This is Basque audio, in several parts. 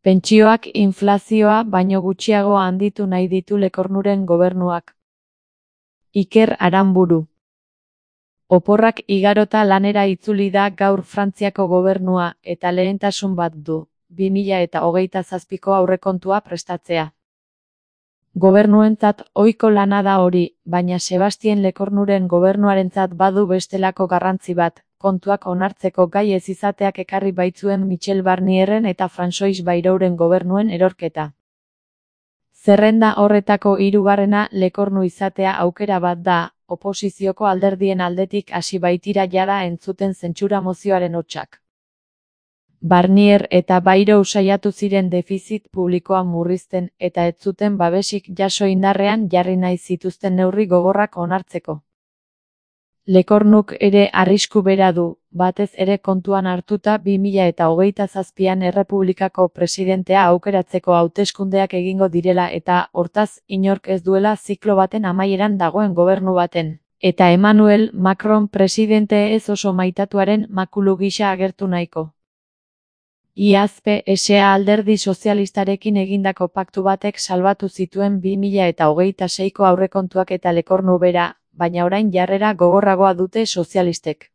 Pentsioak inflazioa baino gutxiago handitu nahi ditu Lekornuren gobernuak. Iker Aranburu. Oporrak igarota lanera itzuli da gaur Frantziako gobernua eta lehentasun bat du, 2027ko aurrekontua prestatzea. Gobernuentzat ohiko lana da hori, baina Sebastien Lekornuren gobernuarentzat badu bestelako garrantzi bat, kontuak onartzeko gai ez izateak ekarri baitzuen Michel Barnierren eta François Bayrouren gobernuen erorketa. Zerrenda horretako hirugarrena Lekornu izatea aukera bat da, oposizioko alderdien aldetik hasi baitira jada entzuten zentsura mozioaren hotsak. Barnier eta Bayrou saiatu ziren defizit publikoa murrizten eta ez zuten babesik jaso indarrean jarri nahi zituzten neurri gogorrak onartzeko. Lekornuk ere arrisku bera du, batez ere kontuan hartuta 2027an Errepublikako presidentea aukeratzeko hauteskundeak egingo direla eta, hortaz, inork ez duela ziklo baten amaieran dagoen gobernu baten. Eta Emmanuel Macron presidente ez oso maitatuaren makulu gisa agertu nahiko. Iaz PSA alderdi sozialistarekin egindako paktu batek salbatu zituen 2026ko aurrekontuak eta Lekornu bera, baina orain jarrera gogorragoa dute sozialistek.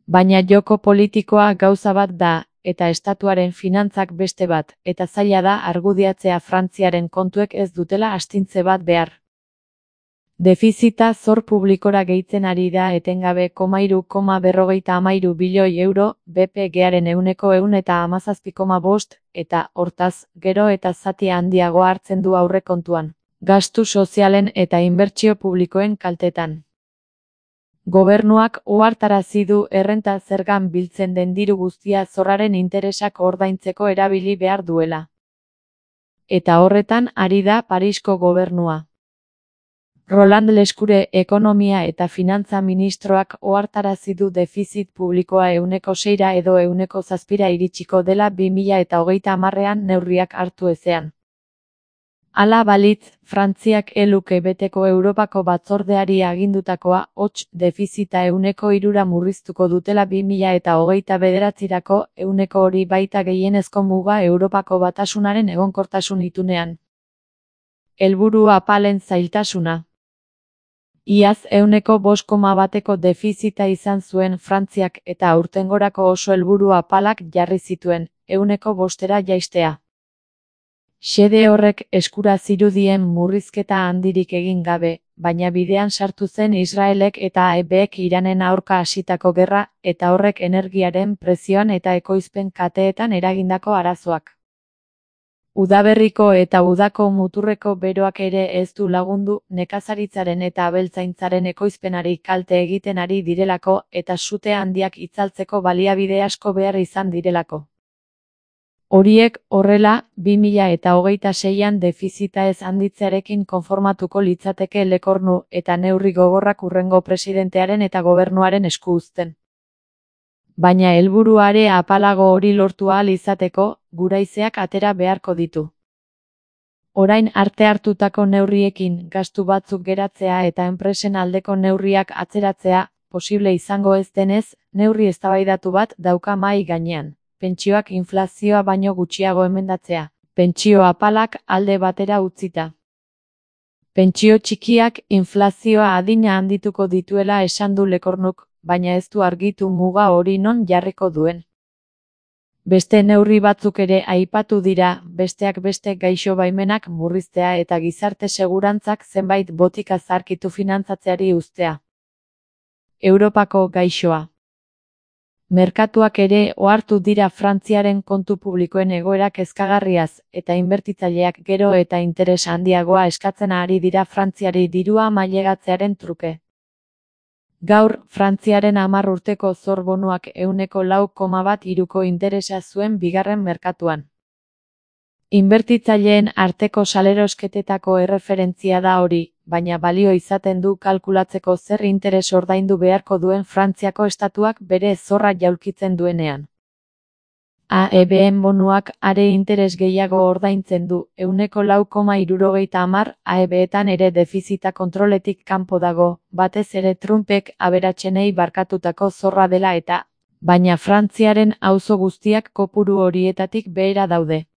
Baina joko politikoa gauza bat da, eta estatuaren finantzak beste bat, eta zaila da argudiatzea Frantziaren kontuek ez dutela astintze bat behar. Defizita zor publikora gehitzen ari da etengabe 3,53 bilioi euro, BPG-aren 117,5, eta, hortaz, gero eta zati handiagoa hartzen du aurrekontuan, gastu sozialen eta inbertsio publikoen kaltetan. Gobernuak ohartarazi du errenta zergan biltzen den diru guztia zorraren interesak ordaintzeko erabili behar duela. Eta horretan ari da Parisko gobernua. Roland Lescure ekonomia eta finantza ministroak ohartarazi du defizit publikoa 6% edo 7% iritsiko dela 2030an neurriak hartu ezean. Hala balitz, Frantziak luke beteko Europako batzordeari agindutakoa, hots, defizita 3% murriztuko dutela 2029rako, hori baita gehienezko muga Europako Batasunaren egonkortasun itunean. Helburu apalen zailtasuna. Iaz 5,1ko defizita izan zuen Frantziak eta aurtengorako oso helburu apalak jarri zituen, 5%ra jaistea. Xede horrek eskura zirudien murrizketa handirik egin gabe, baina bidean sartu zen Israelek eta AEBek Iranen aurka hasitako gerra, eta horrek energiaren prezioan eta ekoizpen kateetan eragindako arazoak. Udaberriko eta udako muturreko beroak ere ez du lagundu, nekazaritzaren eta abeltzaintzaren ekoizpenari kalte egiten ari direlako eta sute handiak itzaltzeko baliabide asko behar izan direlako. Horiek, horrela, 2026an defizita ez handitzearekin konformatuko litzateke Lekornu eta neurri gogorrak hurrengo presidentearen eta gobernuaren esku uzten. Baina helburuare apalago hori lortu ahal izateko, guraizeak atera beharko ditu. Orain arte hartutako neurriekin gastu batzuk geratzea eta enpresen aldeko neurriak atzeratzea, posible izango ez denez, neurri eztabaidatu bat dauka mahai gainean. Pentsioak inflazioa baino gutxiago emendatzea, pentsio apalak alde batera utzita. Pentsio txikiak inflazioa adina handituko dituela esan du Lekornuk, baina ez du argitu muga hori non jarriko duen. Beste neurri batzuk ere aipatu dira, besteak beste gaixo baimenak murriztea eta gizarte segurantzak zenbait botika zaharkitu finantzatzeari uztea. Europako gaixoa. Merkatuak ere ohartu dira Frantziaren kontu publikoen egoera kezkagarriaz, eta inbertitzaileak gero eta interes handiagoa eskatzen ari dira Frantziari dirua mailegatzearen truke. Gaur, Frantziaren 10 urteko zor bonuak 4,13ko interesa zuen bigarren merkatuan. Inbertitzaileen arteko salerosketetako erreferentzia da hori, baina balio izaten du kalkulatzeko zer interes ordaindu beharko duen Frantziako estatuak bere zorra jaulkitzen duenean. AEBen bonuak are interes gehiago ordaintzen du, 4,70, AEBetan ere defizita kontroletik kanpo dago, batez ere Trumpek aberatsenei barkatutako zorra dela eta, baina Frantziaren auzo guztiak kopuru horietatik behera daude.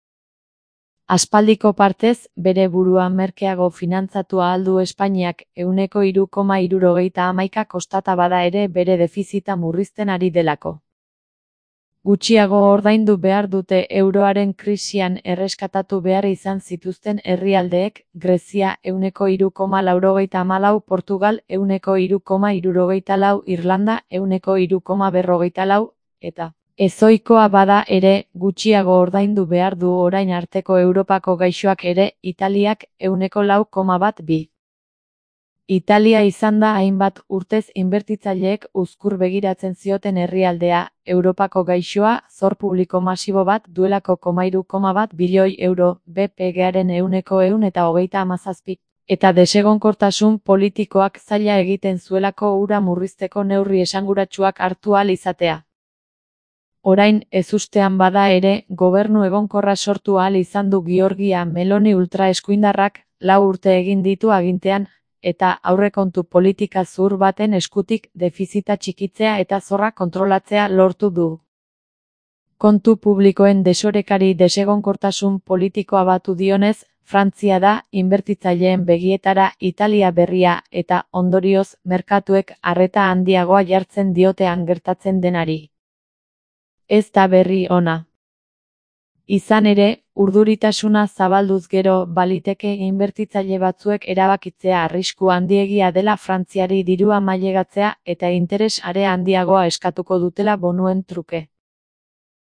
Aspaldiko partez, bere burua merkeago finantzatu ahal du Espainiak 3,71 kostata bada ere bere defizita murrizten ari delako. Gutxiago ordaindu behar dute euroaren krisian erreskatatu behar izan zituzten herrialdeek, Grezia 3,94, Portugal 3,74, Irlanda 3,54, eta ezohikoa bada ere, gutxiago ordaindu behar du orain arteko Europako gaixoak ere, Italiak 4,12. Italia izan da hainbat urtez inbertitzaileek uzkur begiratzen zioten herrialdea, Europako gaixoa, zor publiko masibo bat duelako 3,1 bilioi euro, BPG-aren 137, eta desegonkortasun politikoak zaila egiten zuelako hura murrizteko neurri esanguratsuak hartu ahal izatea. Orain, ezustean bada ere, gobernu egonkorra sortu ahal izan du Giorgia Meloni ultraeskuindarrak, 4 urte egin ditu agintean, eta aurrekontu politika zuhur baten eskutik defizita txikitzea eta zorra kontrolatzea lortu du. Kontu publikoen desorekari desegonkortasun politikoa batu dionez, Frantzia da, inbertitzaileen begietara Italia berria eta, ondorioz, merkatuek arreta handiagoa jartzen diotean gertatzen denari. Ez da berri ona. Izan ere, urduritasuna zabalduz gero baliteke inbertitzaile batzuek erabakitzea arrisku handiegia dela Frantziari dirua mailegatzea eta interes are handiagoa eskatuko dutela bonuen truke.